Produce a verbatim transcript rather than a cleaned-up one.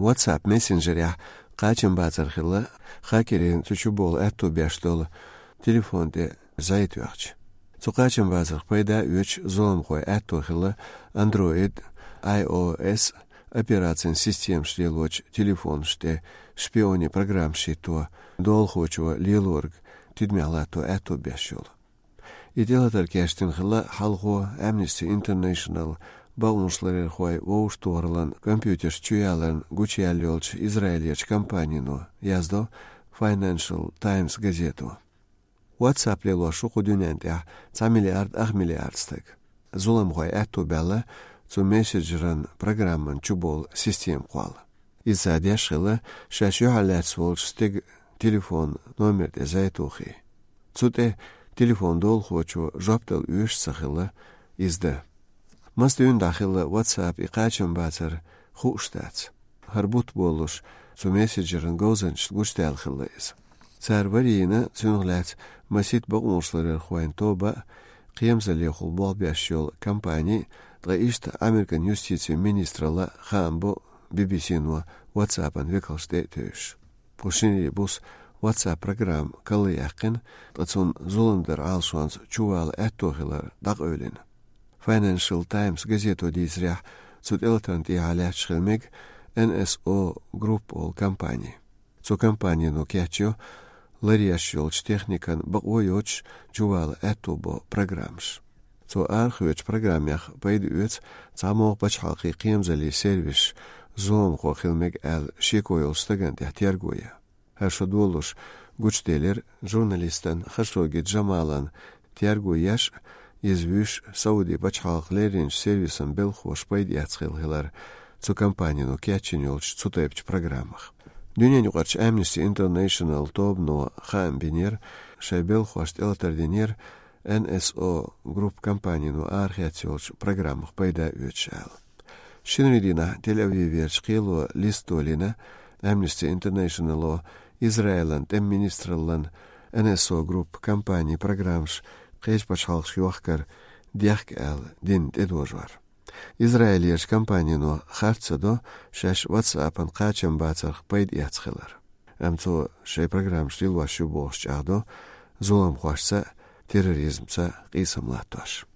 WhatsApp мессенджерехь кхачамбацар хилла хакерийн цу чу болу аьтту беш долу телефон тӀе зӀе тоьхча. Цу кхачамбацарх пайда оьцуш зуламхойн аьтту хилла Android, iOS операцийн системаш лелочу телефонаш тӀе шпионийн программаш хӀитто, долахочо лелориг тидамехь латто аьтту беш йолу. И тӀелатар кечдина хилла хьалхо Amnesty International бакъонашларъярхой вовшахтохараллин компьютерш чуяларна гучуяьлла йолчу Израилерчу компанино, яздо Financial Times газето. WhatsApp лелош ву кху дуьнен тӀехь цхьа миллиард ах миллиард стаг. Зуламхой аьтту баьлла цу мессенджеран программан чу болу система кхолла. Иза цара деш хилла шаьш юьхьарлаьцна волчу стеган телефон номер тӀе зӀе тухий. Цу тӀе телефон долахочо жоп дала оьшуш ца хилла иза дан. Маса дуьйна дӀахилла WhatsApp и кхачамбацар хууш дац. ХӀара бутт болуш цу мессенджеран говзанчашна гучудаьлла хилла иза. Цара варийна цунах лаьцна масийтта бакъонашларъярхойн тоба а, кхерамзаллехула болх беш йолу компани, ткъа иштта Американ юстицин министралла хаам бо Би-би-си-но WhatsApp-ан векалшна тӀе а тевжаш. Кху шинарин буса WhatsApp программа карлаяьккхина, ткъа цунна зулам даран Ӏалашонца чувала аьтто хилар дӀакъевлина. Financial Times газето дийцарехь, цу тӀелатарна тӀехьа лаьтташ хила мега Н С О Group олу компани. Цу компанино кечйо ларъеш йолчу техникан бакъо йоцуш чувала аьтто бо программаш. Цо арахоьцучу программех пайда оьцу цхьамогӀа пачхьалкхийн кхерамзаллин сервисаш зуламхо хила мега аьлла шеко йолчу стагана тӀехь терго ян. ХӀара шо долуш гучуделира журналистан Хашогги Джамалан терго еш, иза вуьйш Сауди пачхьалкхан лерринчу сервисан белхахоша пайда эцна хилла хилар цу компанино кечйина йолчу цу тайпачу программах. Дуьненаюкъарчу Amnesty International тобано хаам бинера, шайн белхахошна тӀелатар динера Н С О Group компанино арахецна йолчу программах пайда оьцуш аьлла. Шинарин дийнахь Тель-Авиверчу кхело листа толийна Amnesty International-о Израилан тӀеман министраллан Н С О Group компанин программаш кхечу пачхьалкхашка йохкар дехка аьлла дина тӀедожор. Израилерчу компанино харц ца до шаьш WhatsApp-ан кхачамбацарх пайда эцна хилар. Амма цо шайн программаш лелош ю бохуш чӀагӀдо зуламхошца а, терроризмца а къийсам латтош.